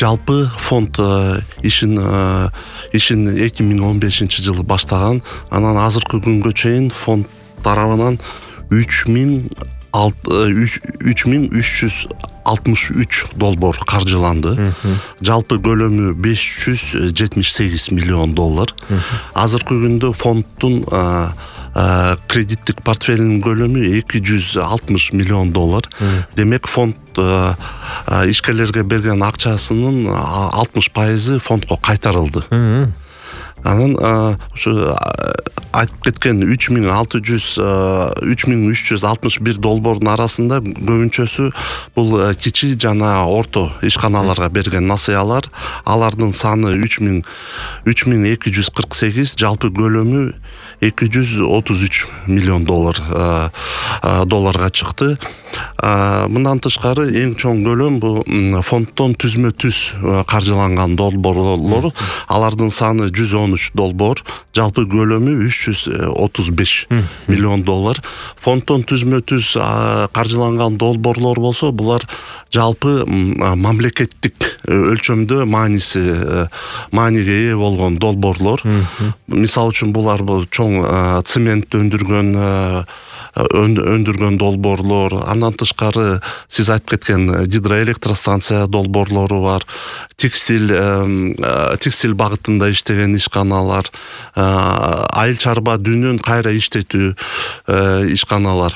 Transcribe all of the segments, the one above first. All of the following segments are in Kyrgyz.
жалпы фонд ишин 2015-жылы баштаган. Анан азыркы күнгө чейин фонд тарабынан 3363 долбоор каржыланды. Жалпы көлөмү $578 миллион. Азыркы күндө фонддун кредиттик портфелинин көлөмү $260 миллион. Демек фонд ишкерлерге берген акчасынын 60% фондко кайтарылды. Анан ушу айтып кеткен 3361 долбоордун арасында көбүнчөсү бул кичи жана орто ишканаларга берген насыялар. Алардын саны 3248, жалпы көлөмү $233 миллион долларга чыкты. Мындан тышкары эң чоң көлөм бул фонддон түзмө-түз каржыланган долбоорлор. Алардын саны 113 долбоор, жалпы көлөмү $335 миллион. Фонддон түзмө-түз каржыланган долбоорлор болсо, булар жалпы мамлекеттик өлчөмдө мааниге ээ болгон долбоорлор. Мисалы үчүн булар чоң цемент өндүргөн долбоорлор. Андан тышкары сиз айтып кеткен гидроэлектростанция долбоорлору бар. Текстиль багытында иштеген ишканалар, айыл чарба дүнүн кайра иштетүү ишканалар.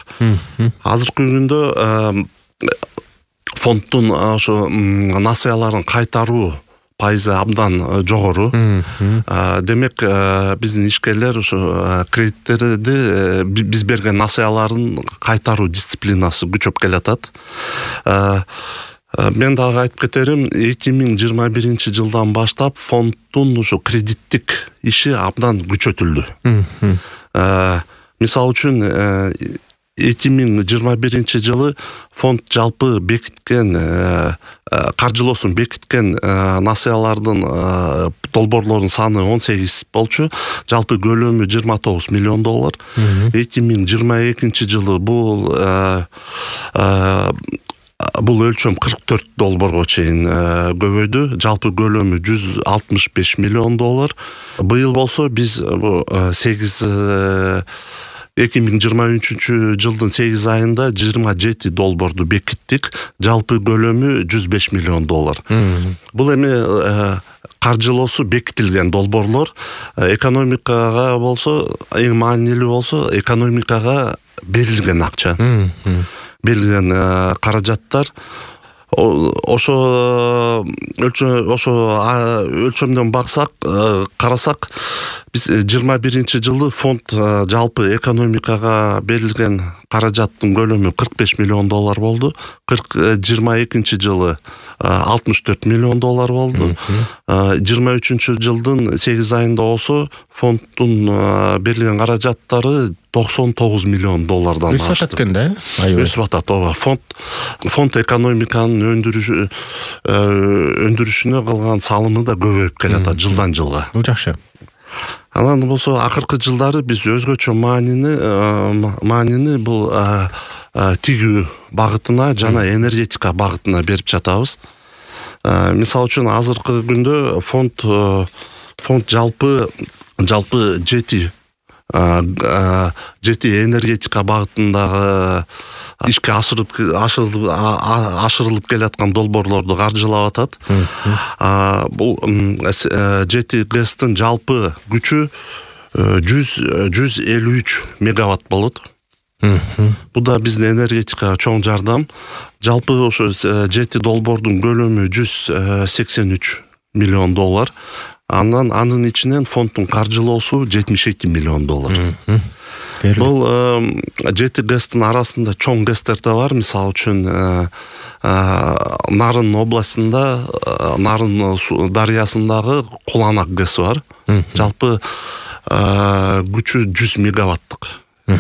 Азыркы күндө фонддун ошо насыяларын кайтаруу пайызы абдан жогору. Демек биздин ишкерлер ошо кредиттерди биз берген насыяларын кайтаруу дисциплинасы күчөп келатат. Мен дагы айтып кетерим, 2021-жылдан баштап фонддун ошо кредиттик иши абдан күчөтүлдү. Мисалы үчүн 2021-жылы фонд жалпы бекиткен каржылоосун бекиткен насыялардын долбоорлордун саны 18 болчу. Жалпы көлөмү $29 миллион. 2022-жылы бул өлчөм 44 долбоорго чейин көбөйдү. Жалпы көлөмү $165 миллион. Быйыл болсо биз 2023-жылдын 8 айында 27 долбоорду бекиттик. Жалпы көлөмү $105 миллион. Бул эми каржылоосу бекитилген долбоорлор. Экономикага болсо, эң маанилүү болсо, экономикага берилген акча. Берилген каражаттар. Ошо өлчөмдөн карасак, биз 21-жылы фонд жалпы экономикага берилген каражаттын көлөмү $45 миллион болду. 22-жылы $64 миллион болду. 23-жылдын 8 айында болсо фонддун берилген каражаттары $99 миллион ашты. Өсүп атат экен да? Өсүп атат. Фонд экономиканын өндүрүшүнө кылган салымы да көбөйүп келатат жылдан жылга. Бул жакшы. Анан болсо акыркы жылдары биз өзгөчө маанини бул тигүү багытына жана энергетика багытына берип жатабыз. Мисалы үчүн азыркы күндө фонд жалпы жети энергетика багытындагы ишке ашырылып келаткан долбоорлорду каржылап атат. Бул жети ГЭСтин жалпы күчү 153 мегаватт болот. Бул да биздин энергетикага чоң жардам. Жалпы ошо жети долбоордун көлөмү $183 миллион. Анын ичинен фонддун каржылоосу $72 миллион. Бул жети ГЭСтин арасында чоң ГЭСтер да бар. Мисалы үчүн Нарын областында, Нарын дарыясындагы Куланак ГЭСи бар. Жалпы күчү 100 мегаваттык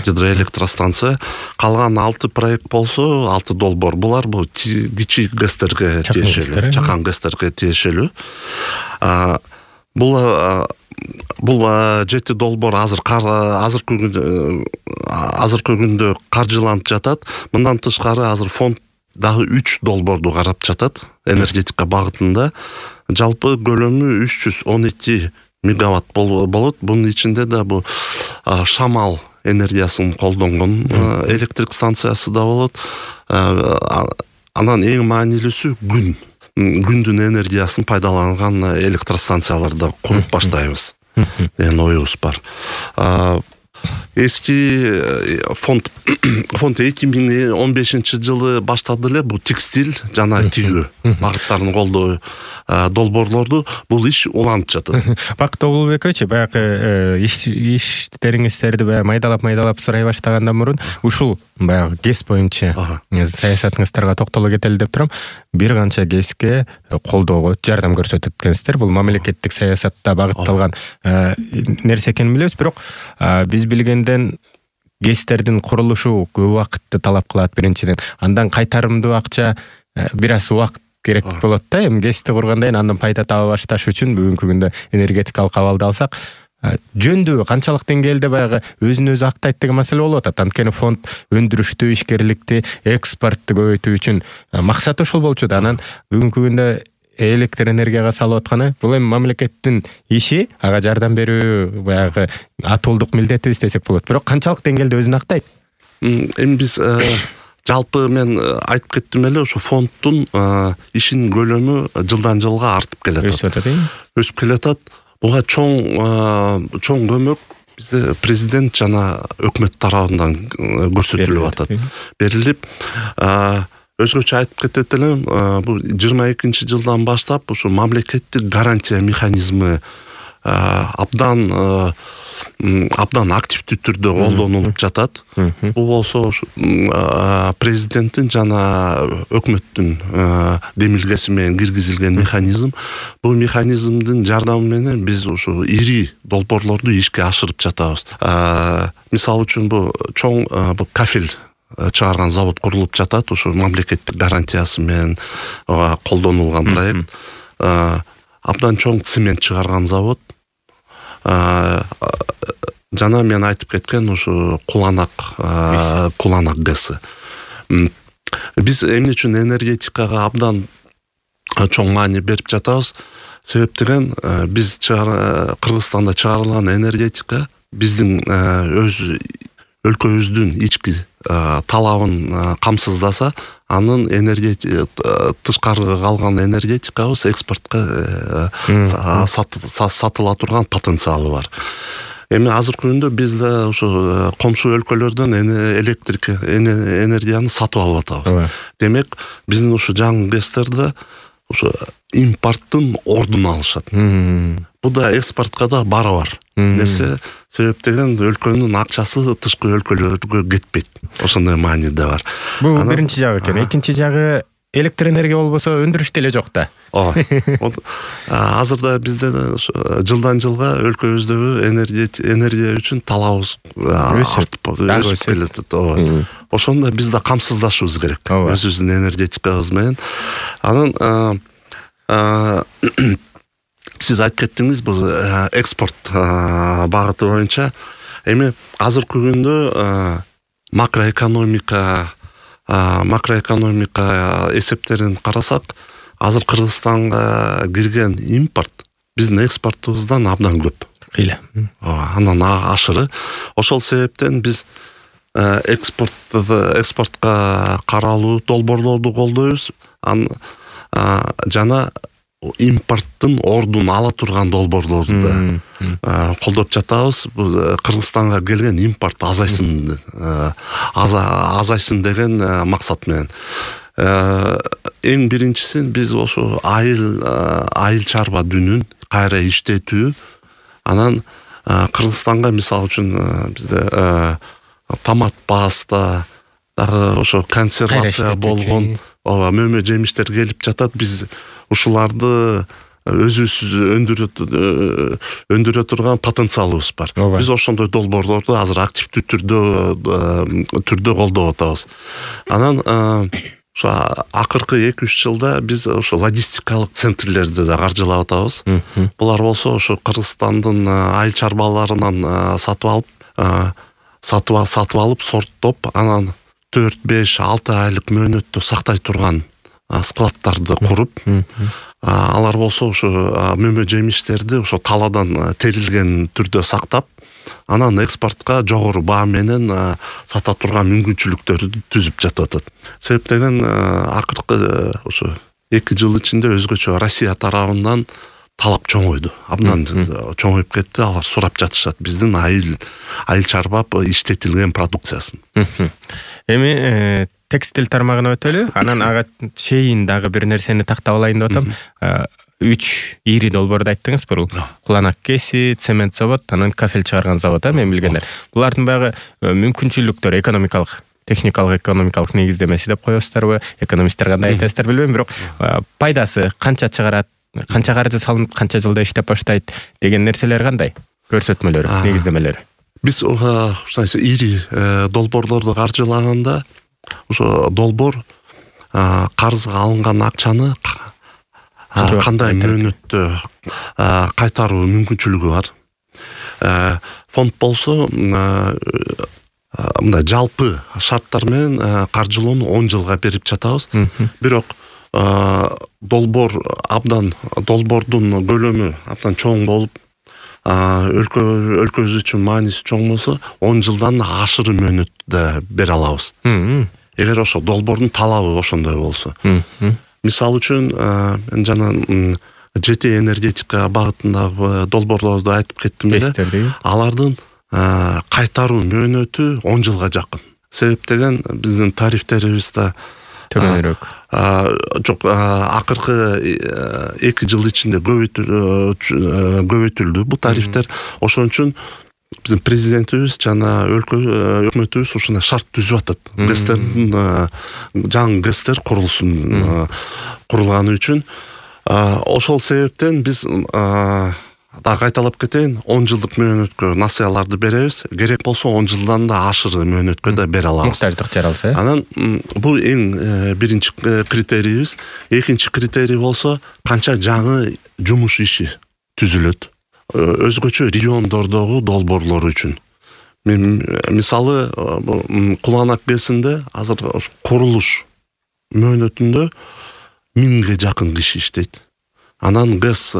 гидроэлектростанция. Калган 6 проект болсо, 6 долбоор. Булар бул кичи ГЭСтерге тиешелүү, чакан ГЭСтерге тиешелүү. Бул жети долбоор азыркы күндө каржыланып жатат. Мындан тышкары азыр фонд дагы 3 долбоорду карап жатат энергетика багытында. Жалпы көлөмү 312 мегаватт болот. Бунун ичинде да бу шамал энергиясын колдонгон электрик станциясы да болот. Анан эң маанилүүсү күндүн энергиясын пайдаланган электростанцияларды да куруп баштайбыз деген оюбуз бар. Эски фонд 2015-жылы баштады эле бул текстиль жана тигүү багыттарын колдоо долбоорлорду. Бул иш уланып жатат. Бактоо Улубекович, баягы иштериңиздерди майдалап сурай баштагандан мурун ушул баягы ГЭС боюнча саясатыңыздарга токтоло кетели деп турам. Бир канча ГЭСке колдоого жардам көрсөтүп эткенсиздер. Бул мамлекеттик саясатта багытталган нерсе экенин билебиз, бирок биз билгенден ГЭСтердин курулушу көп убакытты талап кылат биринчиден. Андан кайтарымдуу акча бир аз убакыт керек болот да. Эми ГЭСти кургандан андан пайда таба башташ үчүн бүгүнкү күндө энергетикалык абалды алсак, жөндүү канчалык деңгээлде баягы өзүн өзү актайт деген маселе болуп атат. Анткени фонд өндүрүштү, ишкерликти, экспортту көбөйтүү үчүн максаты ошол болчу да. Анан бүгүнкү күндө электр энергияга салып атканы бул эми мамлекеттин иши, ага жардам берүү баягы атуулдук милдетибиз десек болот. Бирок канчалык деңгээлде өзүн актайт? Эми биз жалпы мен айтып кеттим эле, ошо фонддун ишинин көлөмү жылдан жылга артып келатат. Өсүп келатат. Буга чоң көмөк бизде президент жана өкмөт тарабынан көрсөтүлүп атат. Берилип, өзгөчө айтып кетет элем, бул 22-жылдан баштап ушу мамлекеттик гарантия механизми абдан активдүү түрдө колдонулуп жатат. Бул болсо президенттин жана өкмөттүн демилгеси менен киргизилген механизм. Бул механизмдин жардамы менен биз ушу ири долбоорлорду ишке ашырып жатабыз. Мисалы үчүн бул чоң кафель чыгарган завод курулуп жатат. Ушу мамлекеттик гарантиясы менен колдонулган проект. Абдан чоң цемент чыгарган завод. Жана мен айтып кеткен ушу Куланак ГЭСи. Биз эмне үчүн энергетикага абдан чоң маани берип жатабыз? Себеп деген биз Кыргызстанда чыгарылган энергетика биздин өз өлкөбүздүн ички талабын камсыздаса, анын тышкарыга калган энергетикабыз экспортко сатыла турган потенциалы бар. Эми азыркы күндө биз да ошо комшу өлкөлөрдөн электрик энергияны сатып алып атабыз. Демек, биздин ушу жаңы ГЭСтерде ошо импорттун ордун алышат. Бул да экспортко да барабар нерсе. Себеп деген өлкөнүн акчасы тышкы өлкөлөргө кетпейт. Ошондой маани да бар. Бул биринчи жагы экен. Экинчи жагы электр энергия болбосо өндүрүш деле жок да. Азырда бизде жылдан жылга өлкөбүздөгү энергия үчүн талабыбыз өсүп келатат. Ошондо биз да камсыздашыбыз керек өзүбүздүн энергетикабыз менен. Анан сиз айтып кеттиңиз бул экспорт багыты боюнча. Эми азыркы күндө макроэкономика эсептерин карасак, азыр Кыргызстанга кирген импорт биздин экспортубуздан абдан көп. Анан ашыры. Ошол себептен биз экспортко каралуу долбоорлорду колдойбуз. Жана импорттун ордун ала турган долбоорлорду да колдоп жатабыз. Кыргызстанга келген импорт азайсын деген максат менен. Эң биринчисин биз ошо айыл чарба дүнүн кайра иштетүү. Анан Кыргызстанга мисалы үчүн бизде томат паста, дагы ошо консервация болгон мөмө жемиштер келип жатат. Биз ушуларды өзүбүз өндүрө турган потенциалыбыз бар. Биз ошондой долбоорлорду азыр активдүү түрдө колдоп атабыз. Анан ошо акыркы 2-3 жылда биз ошо логистикалык центрлерди да каржылап атабыз. Булар болсо ошо Кыргызстандын айыл чарбаларынан сатып алып, сорттоп, анан 4-5-6 айлык мөөнөттө сактай турган складдарды куруп, алар болсо ошо мөмө жемиштерди ошо талаадан терилген түрдө сактап, анан экспортко жогору баа менен сата турган мүмкүнчүлүктөрдү түзүп жатат. Себептен акыркы ошо 2 жыл ичинде өзгөчө Россия тарабынан талап чоңойду. Абдан чоңоюп кетти. Алар сурап жатышат биздин айыл чарбап иштетилген продукциясын. Эми текстиль тармагына өтөлү. Анан ага чейин дагы бир нерсени тактап алайын деп атам. 3 ири долбоорду айттыңыз бул. Куланак кеси, цемент завод, анан кафель чыгарган завод, мен билгендер. Булардын багы мүмкүнчүлүктөр экономикалык, техникалык экономикалык негиздемеси деп коесуздарбы? Экономисттер кандай айтасыздар билбейм, бирок пайдасы канча чыгарат, канча каржы салынып, канча жылда иштеп баштайт деген нерселер кандай? Көрсөтмөлөрү, негиздемелери. Биз ушундай ири долбоорлорду каржылаганда ошо долбоор карызга алынган акчаны кандай мөөнөттө кайтаруу мүмкүнчүлүгү бар. Фонд болсо мындай жалпы шарттар менен каржылоону 10 жылга берип жатабыз. Бирок долбоордун көлөмү абдан чоң болуп, өлкөбүз үчүн мааниси чоң болсо 10 жылдан ашыры мөөнөттө бере алабыз. Эгер ошо долбоордун талабы ошондой болсо. Мисалы үчүн мен жана жети энергетика багытындагы долбоорлорду айтып кеттим эле. Алардын кайтаруу мөөнөтү 10 жылга жакын. Себептен биздин тарифтерибиз да төмөнүрөөк. Жок, акыркы 2 жыл ичинде көбөйтүлдү бул тарифтер. Ошон үчүн биздин президентибиз жана өкмөтүбүз ушундай шарт түзүп атат. ГЭСтердин жаңы ГЭСтер курулсун курулганы үчүн. Ошол себептен биз да кайталап кетейин, 10 жылдык мөөнөткө насыяларды беребиз. Керек болсо 10 жылдан да ашыры мөөнөткө да бере алабыз. Муктаждык жаралса. Анан бул эң биринчи критерийибиз. Экинчи критерий болсо канча жаңы жумуш иши түзүлөт. Өзгөчө региондордогу долбоорлор үчүн. Мен мисалы Куланак ГЭСинде азыр курулуш мөөнөтүндө 1000ге жакын киши иштейт. Анан ГЭС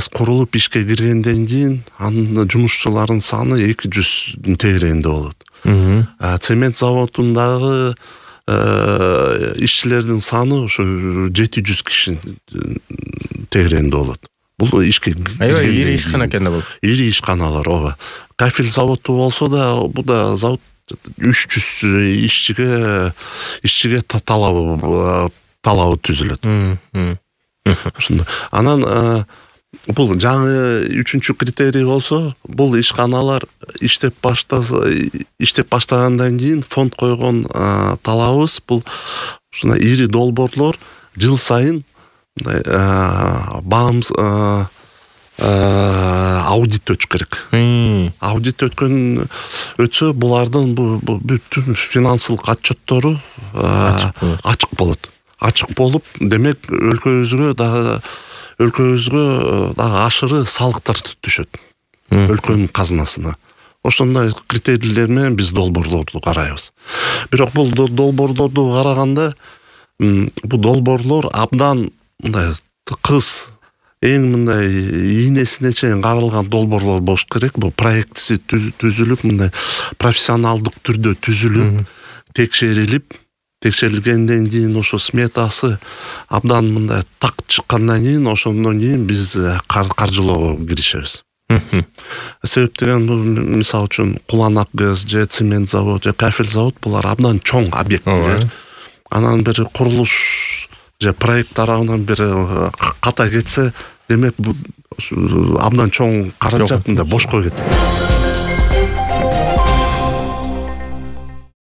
курулуп ишке киргенден кийин анын жумушчуларынын саны 200 тегерегинде болот. Цемент заводундагы ишчилердин саны ошо 700 киши тегерегинде болот. Бул ишке ири ишкана экен да бул. Ири ишканалар, ооба. Кафель заводу болсо да, бул да завод 300 ишчиге талабы түзүлөт. Ошондой. Анан бул жаңы 3-чү критерий болсо, бул ишканалар иштеп баштагандан кийин фонд койгон талабыбыз бул ушундай ири долбоорлор жыл сайын баамыз аудит өтүш керек. Аудит өтсө булардын бүтүн финансылык отчеттору ачык болот. Ачык болуп, демек өлкөбүзгө дагы ашыры салыктар түшөт. Өлкөнүн казынасына. Ошондой критерийлер менен биз долбоорлорду карайбыз. Бирок бул долбоорлорду караганда бул долбоорлор абдан мындай тыкыз, эң мындай ийнесине чейин каралган долбоорлор болуш керек. Бул проектиси түзүлүп, мындай профессионалдык түрдө түзүлүп, текшерилгенден кийин ошо сметасы абдан мындай так чыккандан кийин, ошондон кийин биз каржылоого киришебиз. Себептен мисалы үчүн Куланак ГЭС же цемент завод же кафель завод булар абдан чоң объекттер. Анан бир курулуш же проект тарабынан бир ката кетсе, демек абдан чоң каражат бошко кетет.